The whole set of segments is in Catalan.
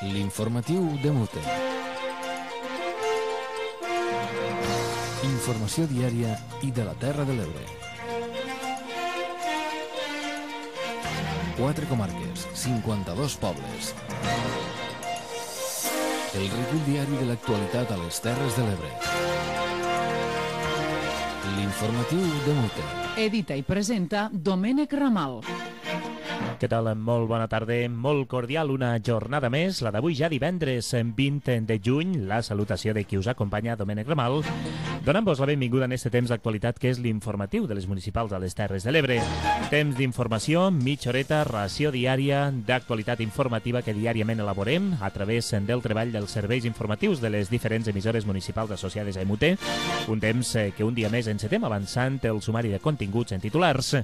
L'informatiu de Mute. Informació diària i de la Terra de l'Ebre. 4 comarques, 52 pobles. El recull diari de l'actualitat a les Terres de l'Ebre. L'informatiu de Mute. Edita i presenta Domènec Ramal. Què tal? Molt bona tarda, molt cordial, una jornada més, la d'avui ja divendres 20 de juny, la salutació de qui us acompanya, Domènec Ramal, donant-vos la benvinguda en este temps d'actualitat que és l'informatiu de les municipals a les Terres de l'Ebre. Temps d'informació, mitja horeta, ració diària d'actualitat informativa que diàriament elaborem a través del treball dels serveis informatius de les diferents emissores municipals associades a EMUT, un temps que un dia més encetem avançant el sumari de continguts en titulars.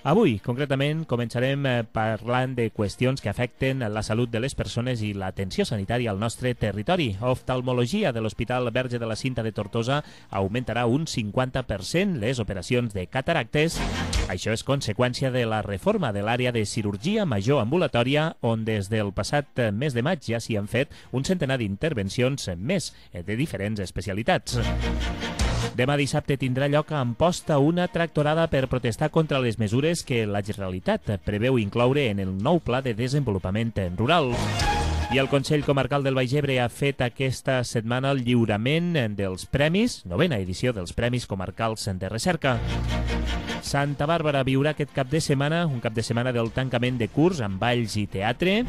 Avui, concretament, començarem parlant de qüestions que afecten la salut de les persones i l'atenció sanitària al nostre territori. Oftalmologia de l'Hospital Verge de la Cinta de Tortosa augmentarà un 50% les operacions de cataractes. Això és conseqüència de la reforma de l'àrea de cirurgia major ambulatòria, on des del passat mes de maig ja s'hi han fet un centenar d'intervencions més de diferents especialitats. Demà dissabte tindrà lloc a Amposta una tractorada per protestar contra les mesures que la Generalitat preveu incloure en el nou Pla de Desenvolupament Rural. I el Consell Comarcal del Baix Ebre ha fet aquesta setmana el lliurament dels premis, 9ª edició dels Premis Comarcals de Recerca. Santa Bàrbara viurà aquest cap de setmana, un cap de setmana del tancament de curs amb balls i teatre.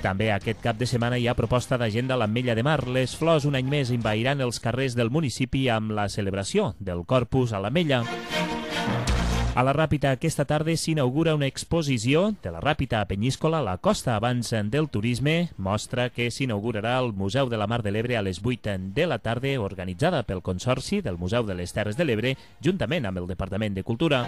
També aquest cap de setmana hi ha proposta d'agenda a l'Ametlla de Mar. Les flors un any més envairan els carrers del municipi amb la celebració del Corpus a l'Ametlla. A la Ràpita aquesta tarda s'inaugura una exposició de la Ràpita a Penyíscola, la costa abans del turisme. Mostra que s'inaugurarà al Museu de la Mar de l'Ebre a les 8 de la tarda, organitzada pel Consorci del Museu de les Terres de l'Ebre, juntament amb el Departament de Cultura.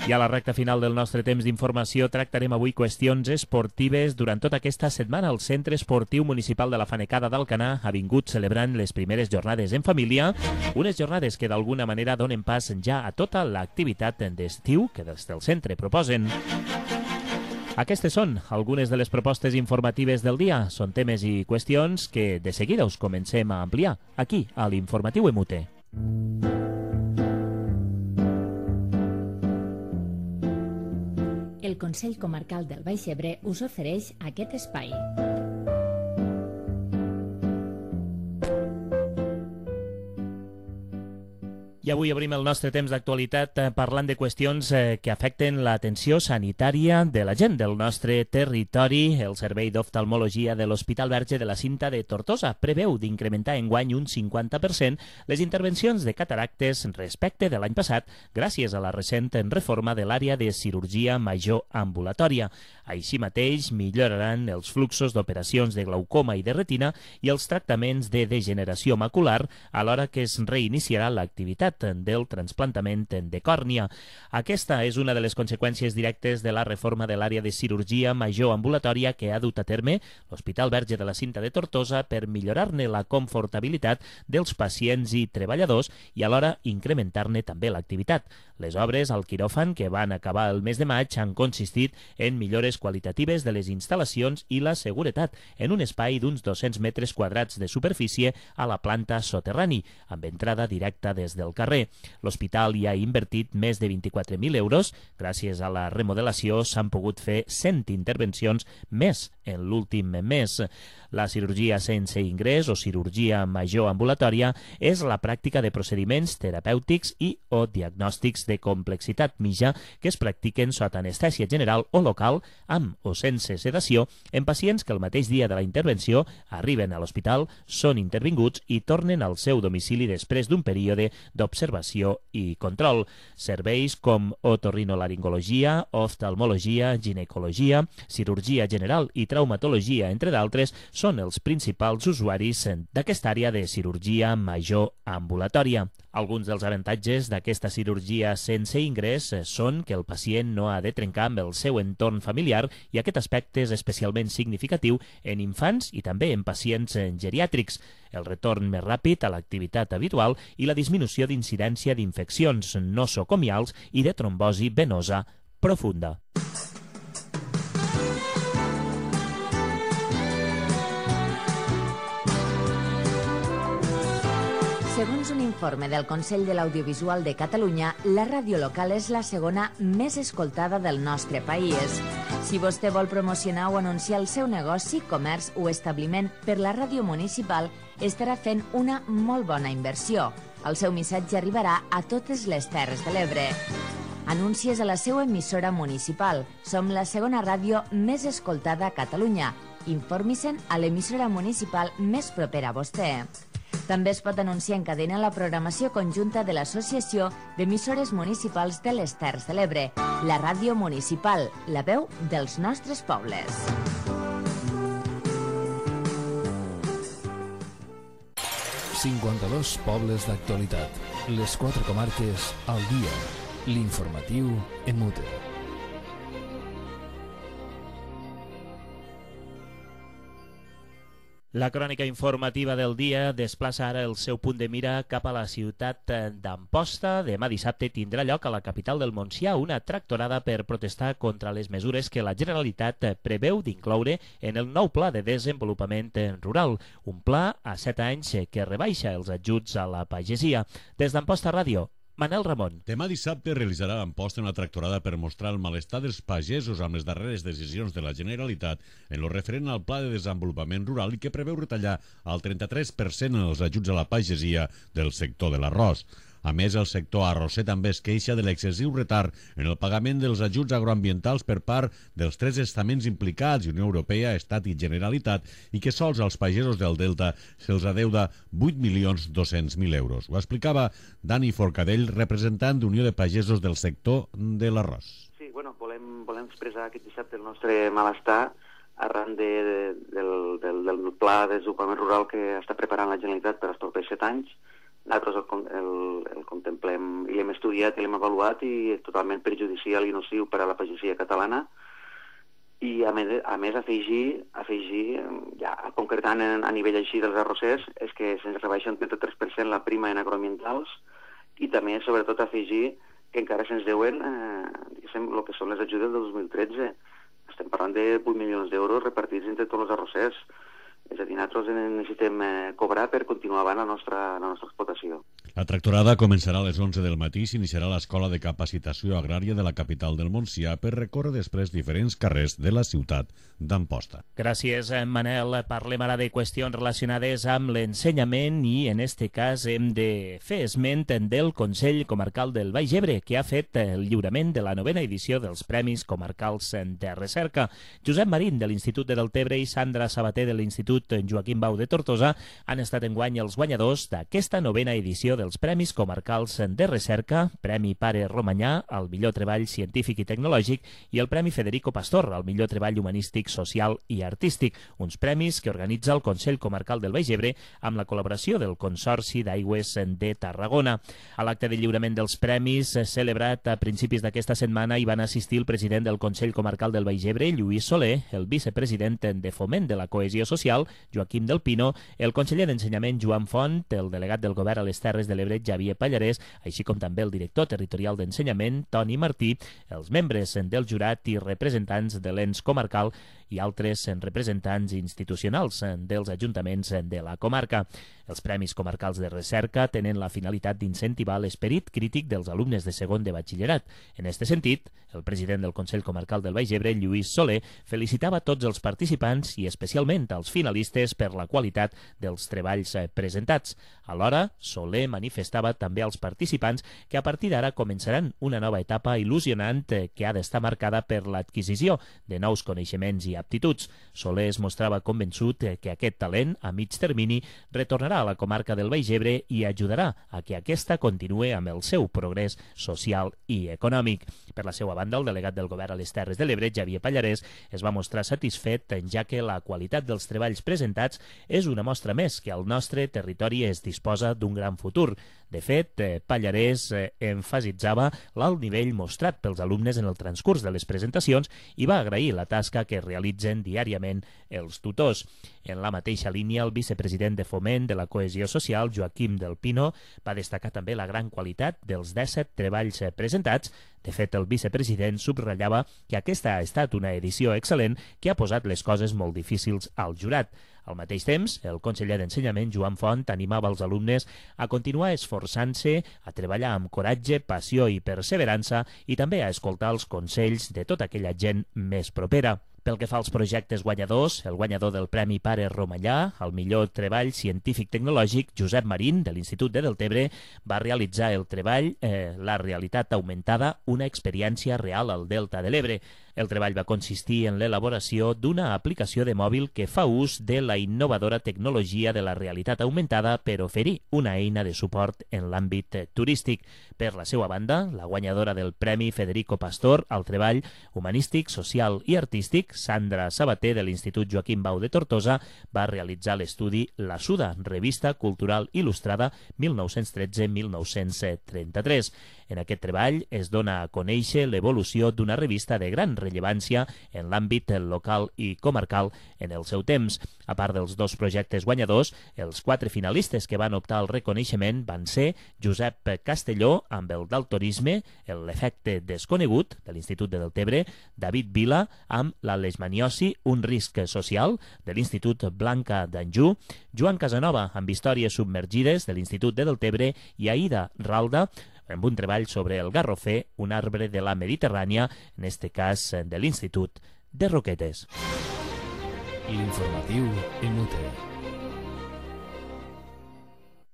I a la recta final del nostre temps d'informació tractarem avui qüestions esportives. Durant tota aquesta setmana el Centre Esportiu Municipal de la Fanecada d'Alcanar ha vingut celebrant les primeres jornades en família, unes jornades que d'alguna manera donen pas ja a tota l'activitat d'estiu que des del centre proposen. Aquestes són algunes de les propostes informatives del dia. Són temes i qüestions que de seguida us comencem a ampliar aquí a l'Informatiu EMUT. El Consell Comarcal del Baix Ebre us ofereix aquest espai. I avui obrim el nostre temps d'actualitat parlant de qüestions que afecten l'atenció sanitària de la gent del nostre territori. El Servei d'Oftalmologia de l'Hospital Verge de la Cinta de Tortosa preveu d'incrementar enguany un 50% les intervencions de cataractes respecte de l'any passat gràcies a la recent reforma de l'àrea de cirurgia major ambulatòria. Així mateix milloraran els fluxos d'operacions de glaucoma i de retina i els tractaments de degeneració macular alhora que es reiniciarà l'activitat del trasplantament de còrnia. Aquesta és una de les conseqüències directes de la reforma de l'àrea de cirurgia major ambulatòria que ha dut a terme l'Hospital Verge de la Cinta de Tortosa per millorar-ne la confortabilitat dels pacients i treballadors i alhora incrementar-ne també l'activitat. Les obres al quiròfan que van acabar el mes de maig han consistit en millores qualitatives de les instal·lacions i la seguretat en un espai d'uns 200 metres quadrats de superfície a la planta soterrani, amb entrada directa des del carrer. L'hospital hi ha invertit més de 24.000 euros. Gràcies a la remodelació s'han pogut fer 100 intervencions més en l'últim mes. La cirurgia sense ingrés o cirurgia major ambulatòria és la pràctica de procediments terapèutics i o diagnòstics de complexitat mitja que es practiquen sota anestèsia general o local, amb o sense sedació, en pacients que el mateix dia de la intervenció arriben a l'hospital, són intervinguts i tornen al seu domicili després d'un període d'observació i control. Serveis com otorrinolaringologia, oftalmologia, ginecologia, cirurgia general i traumatologia, entre d'altres, són els principals usuaris d'aquesta àrea de cirurgia major ambulatòria. Alguns dels avantatges d'aquesta cirurgia sense ingrés són que el pacient no ha de trencar amb el seu entorn familiar i aquest aspecte és especialment significatiu en infants i també en pacients geriàtrics. El retorn més ràpid a l'activitat habitual i la disminució d'incidència d'infeccions nosocomials i de trombosi venosa profunda. Segons un informe del Consell de l'Audiovisual de Catalunya, la ràdio local és la segona més escoltada del nostre país. Si vostè vol promocionar o anunciar el seu negoci, comerç o establiment per la ràdio municipal, estarà fent una molt bona inversió. El seu missatge arribarà a totes les Terres de l'Ebre. Anuncies a la seva emissora municipal. Som la segona ràdio més escoltada a Catalunya. Informi-se'n a l'emissora municipal més propera a vostè. També es pot anunciar en cadena la programació conjunta de l'Associació d'Emissores Municipals de les Terres de l'Ebre, la ràdio municipal, la veu dels nostres pobles. ...52 pobles d'actualitat. Les 4 comarques al dia. L'informatiu en Mute. La crònica informativa del dia desplaça ara el seu punt de mira cap a la ciutat d'Amposta. Demà dissabte tindrà lloc a la capital del Montsià una tractorada per protestar contra les mesures que la Generalitat preveu d'incloure en el nou Pla de Desenvolupament Rural, un pla a 7 anys que rebaixa els ajuts a la pagesia. Des d'Amposta Ràdio, Manel Ramon. Demà dissabte realitzarà a Amposta una tractorada per mostrar el malestar dels pagesos amb les darreres decisions de la Generalitat en lo referent al Pla de Desenvolupament Rural i que preveu retallar al 33% els ajuts a la pagesia del sector de l'arròs. A més, el sector arrosser també es queixa de l'excessiu retard en el pagament dels ajuts agroambientals per part dels 3 estaments implicats, Unió Europea, Estat i Generalitat, i que sols als pagesos del Delta se'ls adeuda 8.200.000 euros. Ho explicava Dani Forcadell, representant d'Unió de Pagesos del sector de l'arròs. Sí, bueno, volem expressar aquest dissabte el nostre malestar arran del pla de desenvolupament rural que està preparant la Generalitat per als propers 7 anys. Nosaltres el contemplem i l'hem estudiat i l'hem avaluat i és totalment perjudicial i nociu per a la pagesia catalana. I a més afegir ja concretant a nivell així dels arrossers, és que se'ns rebaixa un 33% la prima en agroambientals i també, sobretot, afegir que encara se'ns deuen el que són les ajudes del 2013. Estem parlant de 8 milions d'euros repartits entre tots els arrossers. És a dir, nosaltres necessitem cobrar per continuar avant la nostra explotació. La tractorada començarà a les 11 del matí i s'iniciarà a l'Escola de Capacitació Agrària de la capital del Montsià per recórrer després diferents carrers de la ciutat d'Amposta. Gràcies, Manel. Parlem ara de qüestions relacionades amb l'ensenyament i, en este cas, hem de fer esment del Consell Comarcal del Baix Ebre, que ha fet el lliurament de la 9ª edició dels Premis Comarcals de Recerca. Josep Marín, de l'Institut de Deltebre, i Sandra Sabater, de l'Institut Joaquim Bau de Tortosa, han estat enguany els guanyadors d'aquesta 9ª edició dels Premis Comarcals de Recerca, Premi Pare Romanyà al millor treball científic i tecnològic i el Premi Federico Pastor al millor treball humanístic, social i artístic, uns premis que organitza el Consell Comarcal del Baix Ebre amb la col·laboració del Consorci d'Aigües de Tarragona. A l'acte de lliurament dels premis, celebrat a principis d'aquesta setmana, hi van assistir el president del Consell Comarcal del Baix Ebre, Lluís Soler, el vicepresident de Foment de la Cohesió Social, Joaquim del Pino, el conseller d'Ensenyament, Joan Font, el delegat del Govern a les Terres de l'Ebre, Javier Pallarès, així com també el director territorial d'Ensenyament, Toni Martí, els membres del jurat i representants de l'ens comarcal i altres representants institucionals dels ajuntaments de la comarca. Els Premis Comarcals de Recerca tenen la finalitat d'incentivar l'esperit crític dels alumnes de segon de batxillerat. En aquest sentit, el president del Consell Comarcal del Baix Ebre, Lluís Soler, felicitava tots els participants i especialment als finalistes per la qualitat dels treballs presentats. Alhora, Soler manifestava també als participants que a partir d'ara començaran una nova etapa il·lusionant que ha d'estar marcada per l'adquisició de nous coneixements i aptituds. Soler es mostrava convençut que aquest talent, a mig termini, retornarà a la comarca del Baix Ebre i ajudarà a que aquesta continue amb el seu progrés social i econòmic. Per la seva banda, el delegat del Govern a les Terres de l'Ebre, Javier Pallarès, es va mostrar satisfet, ja que la qualitat dels treballs presentats és una mostra més que el nostre territori es disposa d'un gran futur. De fet, Pallarès emfasitzava l'alt nivell mostrat pels alumnes en el transcurs de les presentacions i va agrair la tasca que realitzen diàriament els tutors. En la mateixa línia, el vicepresident de Foment de la Cohesió Social, Joaquim del Pino, va destacar també la gran qualitat dels 17 treballs presentats. De fet, el vicepresident subratllava que aquesta ha estat una edició excel·lent que ha posat les coses molt difícils al jurat. Al mateix temps, el conseller d'Ensenyament, Joan Font, animava els alumnes a continuar esforçant-se, a treballar amb coratge, passió i perseverança i també a escoltar els consells de tota aquella gent més propera. Pel que fa als projectes guanyadors, el guanyador del Premi Pare Romallà, el millor treball científic-tecnològic, Josep Marín, de l'Institut de Deltebre, va realitzar el treball La realitat augmentada, una experiència real al Delta de l'Ebre. El treball va consistir en l'elaboració d'una aplicació de mòbil que fa ús de la innovadora tecnologia de la realitat augmentada per oferir una eina de suport en l'àmbit turístic. Per la seva banda, la guanyadora del Premi Federico Pastor al treball humanístic, social i artístic, Sandra Sabater, de l'Institut Joaquim Bau de Tortosa, va realitzar l'estudi La Suda, revista cultural il·lustrada 1913-1933. En aquest treball es dona a conèixer l'evolució d'una revista de gran rellevància en l'àmbit local i comarcal en el seu temps. A part dels dos projectes guanyadors, els 4 finalistes que van optar al reconeixement van ser Josep Castelló, amb el daltonisme, l'efecte desconegut, de l'Institut de Deltebre, David Vila, amb la leishmaniosi, un risc social, de l'Institut Blanca d'Anjou, Joan Casanova, amb històries submergides, de l'Institut de Deltebre, i Aida Ralda, amb un treball sobre el garrofer, un arbre de la Mediterrània, en este cas de l'Institut de Roquetes. L'informatiu en UTE.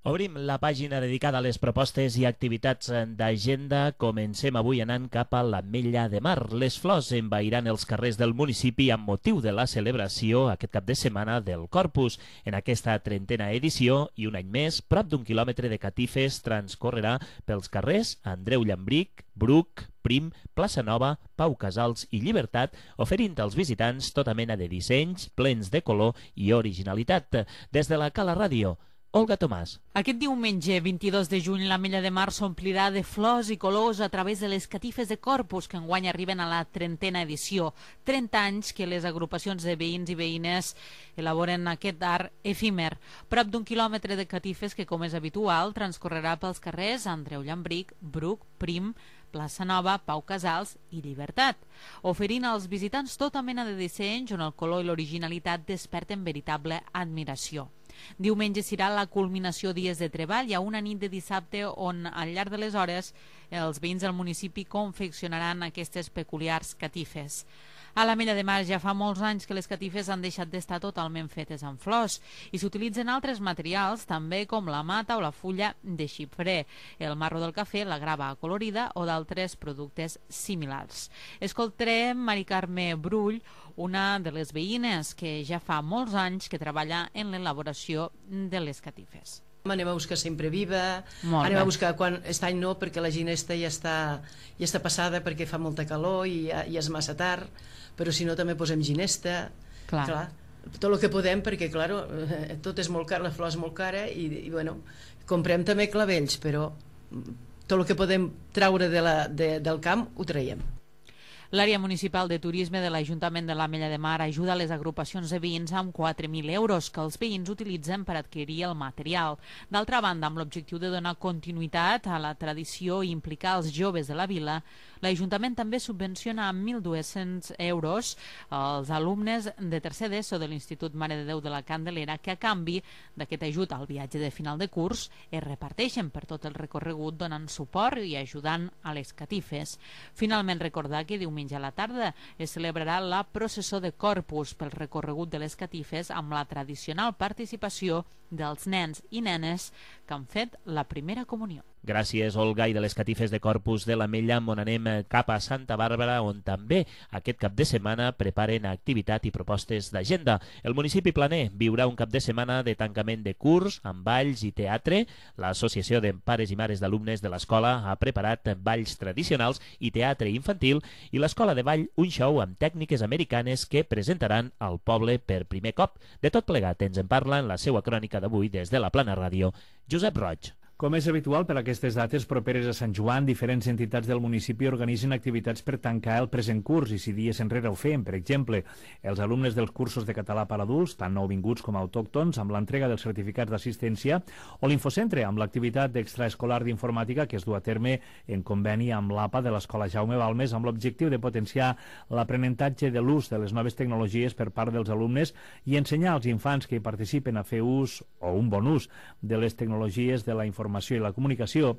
Obrim la pàgina dedicada a les propostes i activitats d'agenda. Comencem avui anant cap a l'Ametlla de Mar. Les flors envairan els carrers del municipi amb motiu de la celebració aquest cap de setmana del Corpus. En aquesta 30a edició, i un any més, prop d'1 quilòmetre de catifes transcorrerà pels carrers Andreu Llambric, Bruc, Prim, Plaça Nova, Pau Casals i Llibertat, oferint als visitants tota mena de dissenys plens de color i originalitat. Des de la Cala Ràdio, Olga Tomàs. Aquest diumenge, 22 de juny, l'Ametlla de Mar s'omplirà de flors i colors a través de les catifes de Corpus, que enguany arriben a la 30a edició. 30 anys que les agrupacions de veïns i veïnes elaboren aquest art efímer. Prop d'1 quilòmetre de catifes que, com és habitual, transcorrerà pels carrers Andreu Llambric, Bruc, Prim, Plaça Nova, Pau Casals i Llibertat, oferint als visitants tota mena de dissenys on el color i l'originalitat desperten veritable admiració. Diumenge serà la culminació dies de treball. Hi ha una nit de dissabte on, al llarg de les hores, els veïns del municipi confeccionaran aquestes peculiars catifes. A l'Ametlla de Mar ja fa molts anys que les catifes han deixat d'estar totalment fetes amb flors i s'utilitzen altres materials, també com la mata o la fulla de xiprer, el marro del cafè, la grava acolorida o d'altres productes similars. Escoltarem Mari Carme Brull, una de les veïnes que ja fa molts anys que treballa en l'elaboració de les catifes. Anem a buscar sempre viva, Molt anem bé. a buscar quan aquest any no, perquè la ginesta ja està passada perquè fa molta calor i ja és massa tard, però si no també posem ginesta. Clar, tot el que podem, perquè clar, tot és molt car, la flor és molt cara i bueno, comprem també clavells, però tot el que podem traure del camp ho traiem. L'àrea municipal de turisme de l'Ajuntament de l'Ametlla de Mar ajuda les agrupacions de veïns amb 4.000 euros que els veïns utilitzen per adquirir el material. D'altra banda, amb l'objectiu de donar continuïtat a la tradició i implicar els joves de la vila, l'Ajuntament també subvenciona amb 1.200 euros als alumnes de tercer d'ESO de l'Institut Mare de Déu de la Candelera, que a canvi d'aquest ajut al viatge de final de curs es reparteixen per tot el recorregut donant suport i ajudant a les catifes. Finalment, recordar que diumenge a la tarda es celebrarà la processó de Corpus pel recorregut de les catifes amb la tradicional participació dels nens i nenes que han fet la primera comunió. Gràcies, Olga. I de les catifes de Corpus de l'Ametlla on anem cap a Santa Bàrbara, on també aquest cap de setmana preparen activitat i propostes d'agenda. El municipi planer viurà un cap de setmana de tancament de curs amb balls i teatre. L'Associació de Pares i Mares d'Alumnes de l'escola ha preparat balls tradicionals i teatre infantil, i l'Escola de Ball un show amb tècniques americanes que presentaran al poble per primer cop. De tot plegat ens en parla en la seva crònica d'avui des de la Plana Ràdio, Josep Roig. Com és habitual per aquestes dates properes a Sant Joan, diferents entitats del municipi organitzen activitats per tancar el present curs i si dies enrere ho feien. Per exemple, els alumnes dels cursos de català per adults, tant nouvinguts com autòctons, amb l'entrega dels certificats d'assistència, o l'Infocentre, amb l'activitat extraescolar d'informàtica que es du a terme en conveni amb l'APA de l'Escola Jaume Balmes amb l'objectiu de potenciar l'aprenentatge de l'ús de les noves tecnologies per part dels alumnes i ensenyar als infants que hi participen a fer ús o un bon ús de les tecnologies de la informació i la comunicació.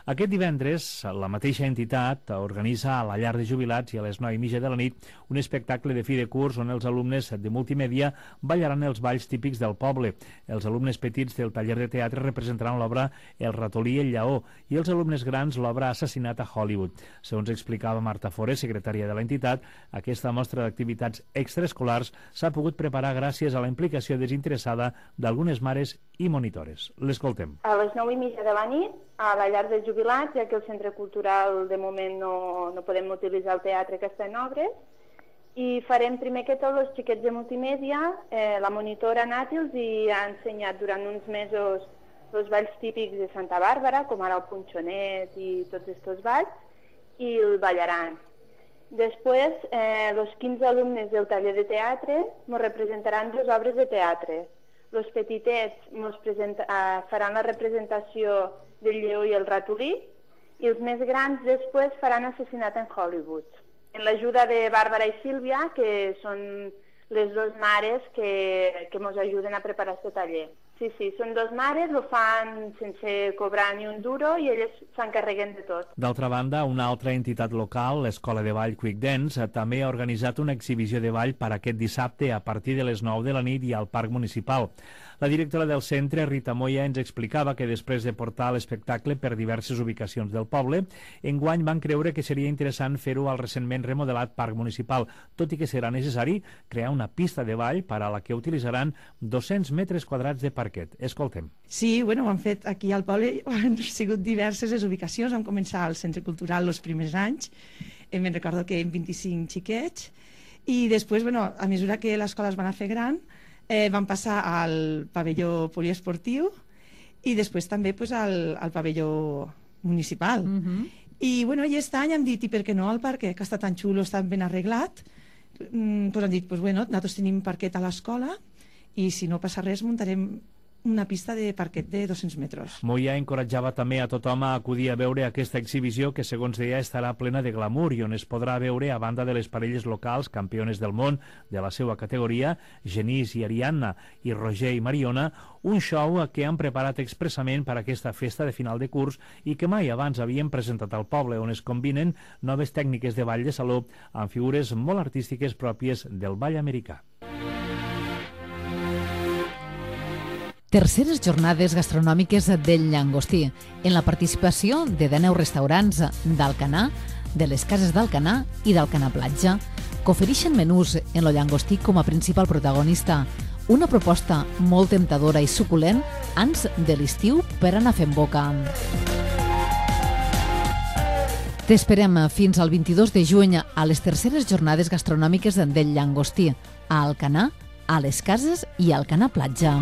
Aquest divendres, la mateixa entitat organitza a la llar de jubilats i a les 9:30 de la nit un espectacle de fi de curs on els alumnes de multimèdia ballaran els balls típics del poble. Els alumnes petits del taller de teatre representaran l'obra El ratolí i el lleó i els alumnes grans l'obra Assassinat a Hollywood. Segons explicava Marta Forés, secretària de l'entitat, aquesta mostra d'activitats extraescolars s'ha pogut preparar gràcies a la implicació desinteressada d'algunes mares i monitores. L'escoltem. A les 9:30 de la nit, a la llar de jubilats, ja que el centre cultural de moment no podem utilitzar el teatre que està en obres, i farem primer que tot els xiquets de multimèdia, la monitora Nati els ha ensenyat durant uns mesos els balls típics de Santa Bàrbara, com ara el punxonet i tots aquests balls, i el ballaran. Després, els 15 alumnes del taller de teatre ens representaran 2 obres de teatre. Els petitets faran la representació del lleó i el ratolí i els més grans després faran Assassinat en Hollywood. En l'ajuda de Bàrbara i Sílvia, que són les 2 mares que ens ajuden a preparar aquest taller. Sí, són 2 mares, ho fan sense cobrar ni un duro i elles s'encarreguen de tot. D'altra banda, una altra entitat local, l'Escola de Ball Quick Dance, també ha organitzat una exhibició de ball per aquest dissabte a partir de les 9 de la nit i al Parc Municipal. La directora del centre, Rita Moya, ens explicava que després de portar l'espectacle per diverses ubicacions del poble, enguany van creure que seria interessant fer-ho al recentment remodelat Parc Municipal, tot i que serà necessari crear una pista de ball per a la que utilitzaran 200 metres quadrats de parquet. Escoltem. Sí, ho han fet aquí al poble, han sigut diverses les ubicacions, vam començar al Centre Cultural els primers anys, me'n recordo que en 25 xiquets, i després, a mesura que l'escola es va anar fer gran, van passar al pavelló poliesportiu i després també al pavelló municipal. I aquest any hem dit, i per què no al parquet, que està tan xulo, està ben arreglat, hem dit, nosaltres tenim parquet a l'escola i si no passa res muntarem una pista de parquet de 200 metres. Moya encoratjava també a tothom a acudir a veure aquesta exhibició que, segons deia, estarà plena de glamour i on es podrà veure, a banda de les parelles locals campiones del món de la seva categoria, Genís i Ariadna, i Roger i Mariona, un show que han preparat expressament per a aquesta festa de final de curs i que mai abans havien presentat al poble, on es combinen noves tècniques de ball de saló amb figures molt artístiques pròpies del ball americà. Terceres jornades gastronòmiques del Llangostí, en la participació de 19 restaurants d'Alcanar, de les cases d'Alcanar i d'Alcanar Platja, que ofereixen menús en el llangostí com a principal protagonista. Una proposta molt temptadora i suculent abans de l'estiu per anar fent boca. T'esperem fins al 22 de juny a les terceres jornades gastronòmiques del Llangostí, a Alcanar, a les cases i a Alcanar Platja.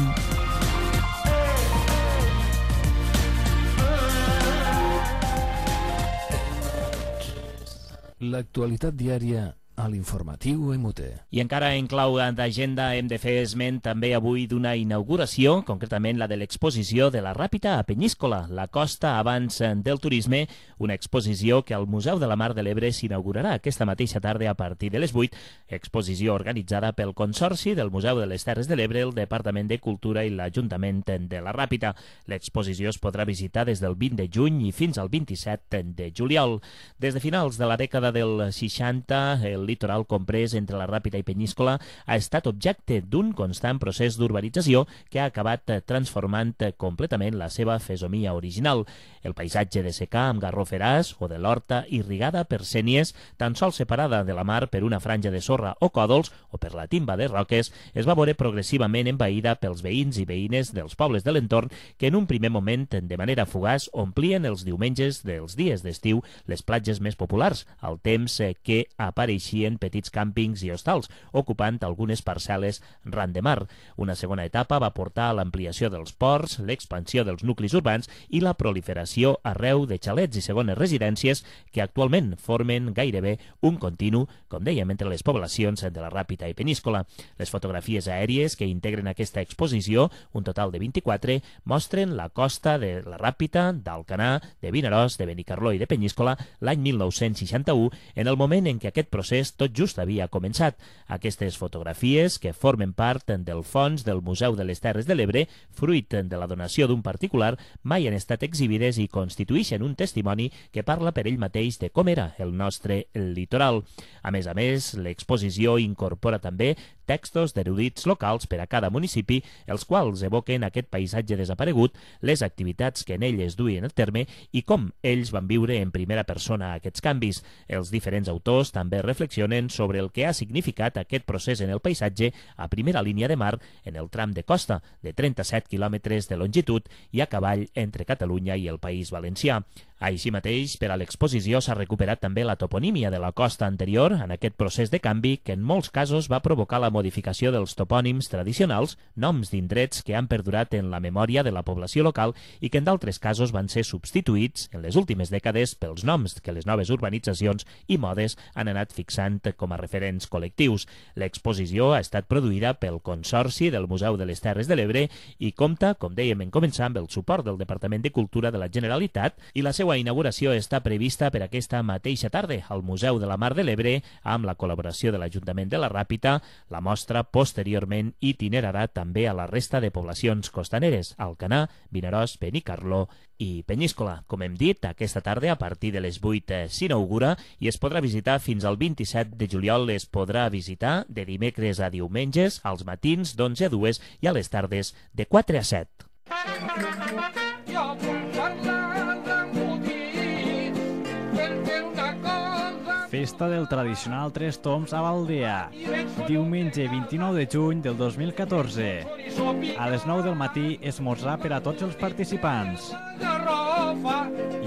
L'actualitat diària a l'informatiu MUT. I encara en clau d'agenda hem de fer esment també avui d'una inauguració, concretament la de l'exposició de la Ràpita a Penyíscola, la costa abans del turisme, una exposició que al Museu de la Mar de l'Ebre s'inaugurarà aquesta mateixa tarda a partir de les 8, exposició organitzada pel Consorci del Museu de les Terres de l'Ebre, el Departament de Cultura i l'Ajuntament de la Ràpita. L'exposició es podrà visitar des del 20 de juny i fins al 27 de juliol. Des de finals de la dècada del 60, el litoral comprès entre la Ràpita i Penyíscola ha estat objecte d'un constant procés d'urbanització que ha acabat transformant completament la seva fesomia original. El paisatge de secà amb garroferars o de l'horta irrigada per sénies, tan sols separada de la mar per una franja de sorra o còdols o per la timba de roques, es va veure progressivament envaïda pels veïns i veïnes dels pobles de l'entorn que en un primer moment, de manera fugaç, omplien els diumenges dels dies d'estiu les platges més populars, al temps que apareixia s'afegien petits càmpings i hostals, ocupant algunes parcel·les ran de mar. Una segona etapa va portar a l'ampliació dels ports, l'expansió dels nuclis urbans i la proliferació arreu de xalets i segones residències que actualment formen gairebé un continu, com dèiem, entre les poblacions de la Ràpita i Peníscola. Les fotografies aèries que integren aquesta exposició, un total de 24, mostren la costa de la Ràpita, d'Alcanar, de Vinaròs, de Benicarló i de Peníscola l'any 1961, en el moment en què aquest procés tot just havia començat. Aquestes fotografies, que formen part del fons del Museu de les Terres de l'Ebre, fruit de la donació d'un particular, mai han estat exhibides i constitueixen un testimoni que parla per ell mateix de com era el nostre litoral. A més, l'exposició incorpora també textos d'erudits locals per a cada municipi, els quals evoquen aquest paisatge desaparegut, les activitats que en ell es duien a terme i com ells van viure en primera persona aquests canvis. Els diferents autors també reflexionen sobre el que ha significat aquest procés en el paisatge a primera línia de mar en el tram de costa, de 37 quilòmetres de longitud i a cavall entre Catalunya i el País Valencià. Així mateix, per a l'exposició s'ha recuperat també la toponímia de la costa anterior en aquest procés de canvi que en molts casos va provocar la modificació dels topònims tradicionals, noms d'indrets que han perdurat en la memòria de la població local i que en d'altres casos van ser substituïts en les últimes dècades pels noms que les noves urbanitzacions i modes han anat fixant com a referents col·lectius. L'exposició ha estat produïda pel Consorci del Museu de les Terres de l'Ebre i compta, com dèiem en començar, amb el suport del Departament de Cultura de la Generalitat i la seva inauguració està prevista per aquesta mateixa tarda al Museu de la Mar de l'Ebre amb la col·laboració de l'Ajuntament de la Ràpita. La mostra posteriorment itinerarà també a la resta de poblacions costaneres, Alcanar, Vinaròs, Benicarló i Peníscola. Com hem dit, aquesta tarda a partir de les 8 s'inaugura i es podrà visitar fins al 27 de juliol. Es podrà visitar de dimecres a diumenges, als matins d'11 a 2 i a les tardes de 4 a 7. Festa del tradicional Tres Tombs a l'Aldea, diumenge 29 de juny del 2014. A les 9 del matí, esmorzar per a tots els participants.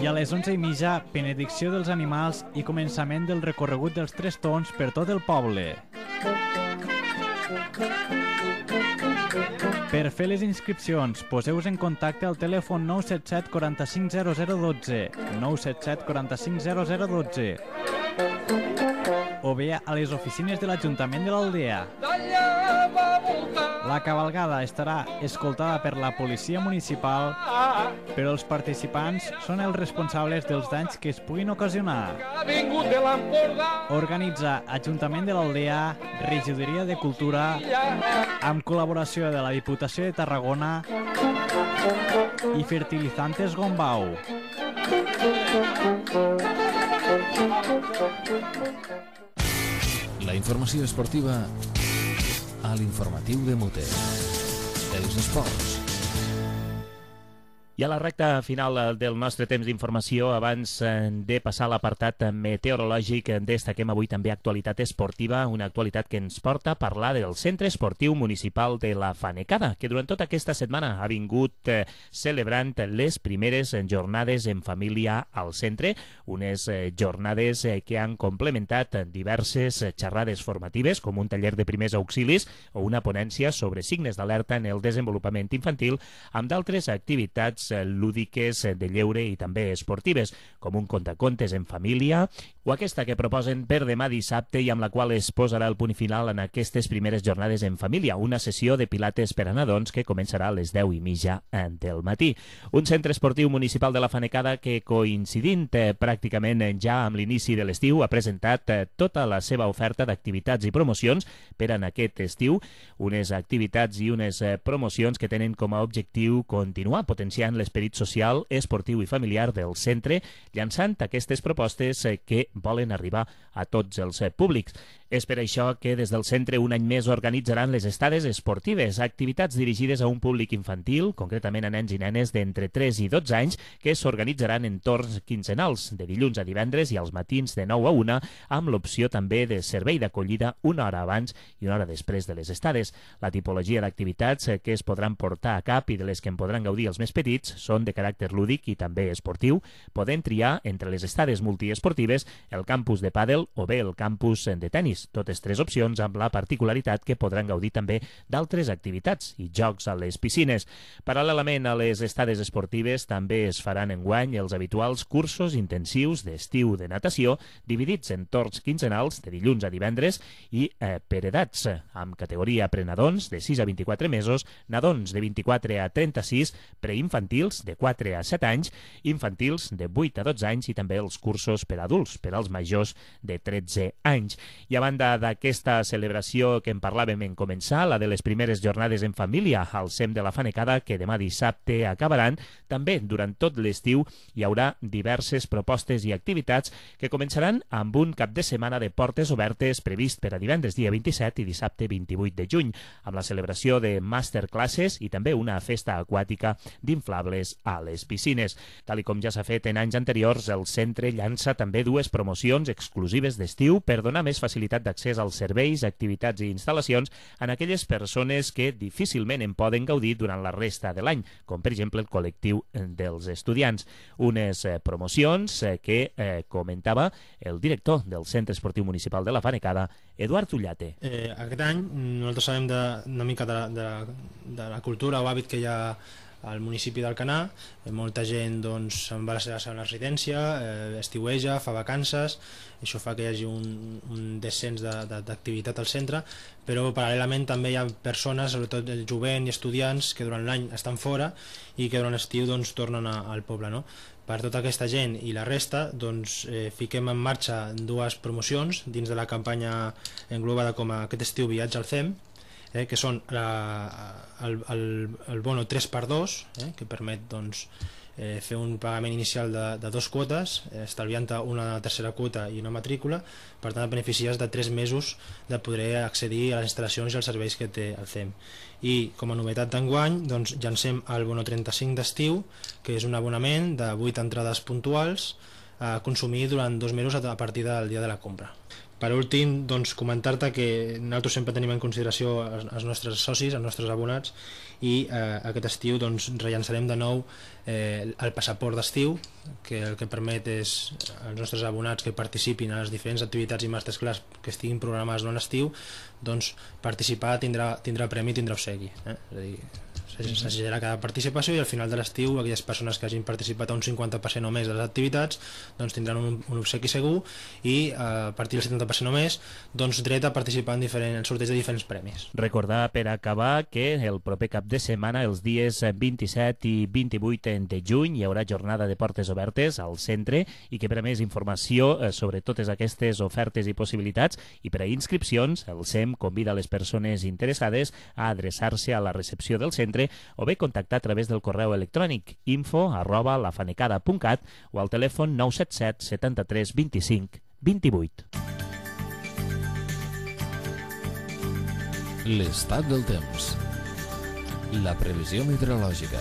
I a les 11:30, benedicció dels animals i començament del recorregut dels Tres Tombs per tot el poble. Per fer les inscripcions, poseu-vos en contacte al telèfon 977 45 0012, 977 45 0012, o bé a les oficines de l'Ajuntament de l'Aldea. La cavalgada estarà escoltada per la policia municipal, però els participants són els responsables dels danys que es puguin ocasionar. Organitza Ajuntament de l'Aldea, Regidoria de Cultura, amb col·laboració de la Diputació de Tarragona i Fertilizantes Gombau. La informació esportiva a l'informatiu de Mute. Els esports. I a la recta final del nostre temps d'informació, abans de passar a l'apartat meteorològic, destaquem avui també actualitat esportiva, una actualitat que ens porta a parlar del Centre Esportiu Municipal de la Fanecada, que durant tota aquesta setmana ha vingut celebrant les primeres jornades en família al centre, unes jornades que han complementat diverses xerrades formatives, com un taller de primers auxilis o una ponència sobre signes d'alerta en el desenvolupament infantil, amb d'altres activitats lúdiques, de lleure i també esportives, com un contacontes en família o aquesta que proposen per demà dissabte i amb la qual es posarà el punt final en aquestes primeres jornades en família, una sessió de pilates per a nadons que començarà a les 10:30 del matí. Un centre esportiu municipal de la Fanecada que, coincidint pràcticament ja amb l'inici de l'estiu, ha presentat tota la seva oferta d'activitats i promocions per en aquest estiu, unes activitats i unes promocions que tenen com a objectiu continuar potenciant l'esperit social, esportiu i familiar del centre, llançant aquestes propostes que volen arribar a tots els públics. És per això que des del centre un any més organitzaran les estades esportives, activitats dirigides a un públic infantil, concretament a nens i nenes d'entre 3 i 12 anys, que s'organitzaran en torns quinzenals, de dilluns a divendres i als matins de 9 a 1, amb l'opció també de servei d'acollida una hora abans i una hora després de les estades. La tipologia d'activitats que es podran portar a cap i de les que en podran gaudir els més petits són de caràcter lúdic i també esportiu, podent triar entre les estades multiesportives el campus de pàdel o bé el campus de tennis. Totes tres opcions amb la particularitat que podran gaudir també d'altres activitats i jocs a les piscines. Paral·lelament a les estades esportives també es faran enguany els habituals cursos intensius d'estiu de natació dividits en torns quinzenals de dilluns a divendres i per edats, amb categoria prenadons de 6 a 24 mesos, nadons de 24 a 36, preinfantils de 4 a 7 anys, infantils de 8 a 12 anys i també els cursos per adults, per als majors de 13 anys. I a banda d'aquesta celebració que en parlàvem en començar, la de les primeres jornades en família al SEM de la Fanecada, que demà dissabte acabaran, també durant tot l'estiu hi haurà diverses propostes i activitats que començaran amb un cap de setmana de portes obertes previst per a divendres dia 27 i dissabte 28 de juny, amb la celebració de masterclasses i també una festa aquàtica d'inflables a les piscines. Tal com ja s'ha fet en anys anteriors, el centre llança també dues promocions exclusives d'estiu per donar més facilitat d'accés als serveis, activitats i instal·lacions en aquelles persones que difícilment en poden gaudir durant la resta de l'any, com per exemple el col·lectiu dels estudiants. Unes promocions que comentava el director del Centre Esportiu Municipal de la Fanecada, Eduard Ullate. Aquest any nosaltres sabem una mica de la cultura o hàbit que hi ha al municipi d'Alcanar. Molta gent se'n va a la seva segona residència, estiueja, fa vacances, això fa que hi hagi un descens d'activitat al centre, però paral·lelament també hi ha persones, sobretot el jovent i estudiants, que durant l'any estan fora i que durant l'estiu tornen al poble, no? Per tota aquesta gent i la resta fiquem en marxa dues promocions dins de la campanya englobada com a aquest estiu viatge al CEM, que són el bono 3x2, que permet fer un pagament inicial de 2 quotes, estalviant-te una tercera quota i una matrícula. Per tant, et beneficies de 3 mesos de poder accedir a les instal·lacions i als serveis que té el CEM. I com a novetat d'enguany llancem el bono 35 d'estiu, que és un abonament de 8 entrades puntuals a consumir durant 2 mesos a partir del dia de la compra. Per últim, comentar-te que nosaltres sempre tenim en consideració els nostres socis, els nostres abonats, i aquest estiu rellançarem de nou el passaport d'estiu, que el que permet és als nostres abonats que participin a les diferents activitats i masterclass que estiguin programades durant l'estiu, participar tindrà premi i tindrà obsequi. És a dir, s'assajarà cada participació i al final de l'estiu aquelles persones que hagin participat a un 50% o més de les activitats tindran un obsequi segur i a partir del 70% o més dret a participar en sorteig de diferents premis. Recordar per acabar que el proper cap de setmana, els dies 27 i 28 de juny, hi haurà jornada de portes obertes al centre i que per a més informació sobre totes aquestes ofertes i possibilitats i per a inscripcions, el SEM convida les persones interessades a adreçar-se a la recepció del centre o bé contactar a través del correu electrònic info@lafanecada.cat o al telèfon 977 73 25 28. L'estat del temps. La previsió meteorològica.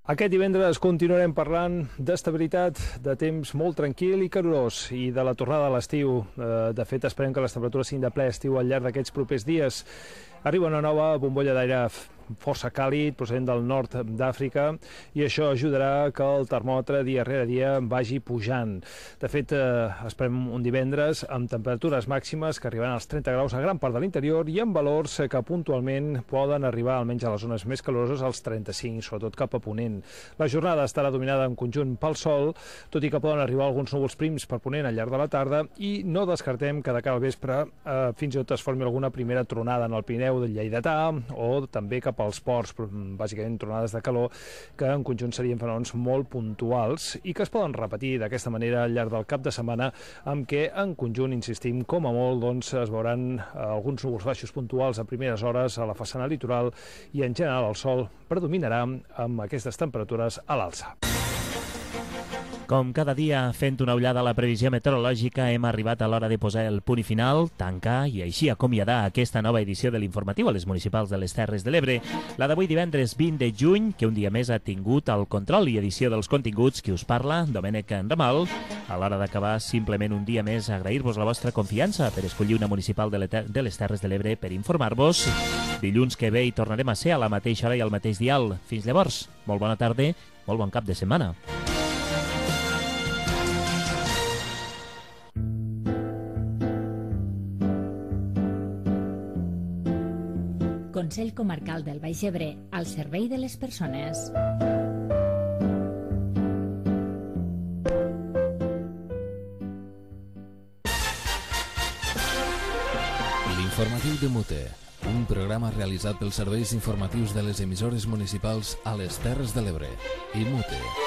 Aquest divendres continuarem parlant d'estabilitat, de temps molt tranquil i calorós i de la tornada a l'estiu. De fet, esperem que les temperatures siguin de ple estiu al llarg d'aquests propers dies. Arriba una nova bombolla d'aire força càlid, procedent del nord d'Àfrica, i això ajudarà que el termòmetre dia rere dia vagi pujant. De fet, esperem un divendres amb temperatures màximes que arribaran als 30 graus a gran part de l'interior i amb valors que puntualment poden arribar, almenys a les zones més caloroses, als 35, sobretot cap a ponent. La jornada estarà dominada en conjunt pel sol, tot i que poden arribar alguns núvols prims per ponent al llarg de la tarda, i no descartem que de cara al vespre fins i tot es formi alguna primera tronada en el Pirineu del Lleidatà o també cap als ports, bàsicament tronades de calor, que en conjunt serien fenòmens molt puntuals i que es poden repetir d'aquesta manera al llarg del cap de setmana, amb què en conjunt, insistim, com a molt, es veuran alguns núvols baixos puntuals a primeres hores a la façana litoral i en general el sol predominarà amb aquestes temperatures a l'alça. Com cada dia, fent una ullada a la previsió meteorològica, hem arribat a l'hora de posar el punt i final, tancar i així acomiadar aquesta nova edició de l'informatiu a les municipals de les Terres de l'Ebre. La d'avui divendres 20 de juny, que un dia més ha tingut el control i edició dels continguts, qui us parla, Domènec Ramal. A l'hora d'acabar, simplement un dia més agrair-vos la vostra confiança per escollir una municipal de les Terres de l'Ebre per informar-vos. Dilluns que ve hi tornarem a ser a la mateixa hora i al mateix dial. Fins llavors, molt bona tarda, molt bon cap de setmana. Consell Comarcal del Baix Ebre, al servei de les persones. L'informatiu de Mute, un programa realitzat pels serveis informatius de les emissores municipals a les Terres de l'Ebre i Mute.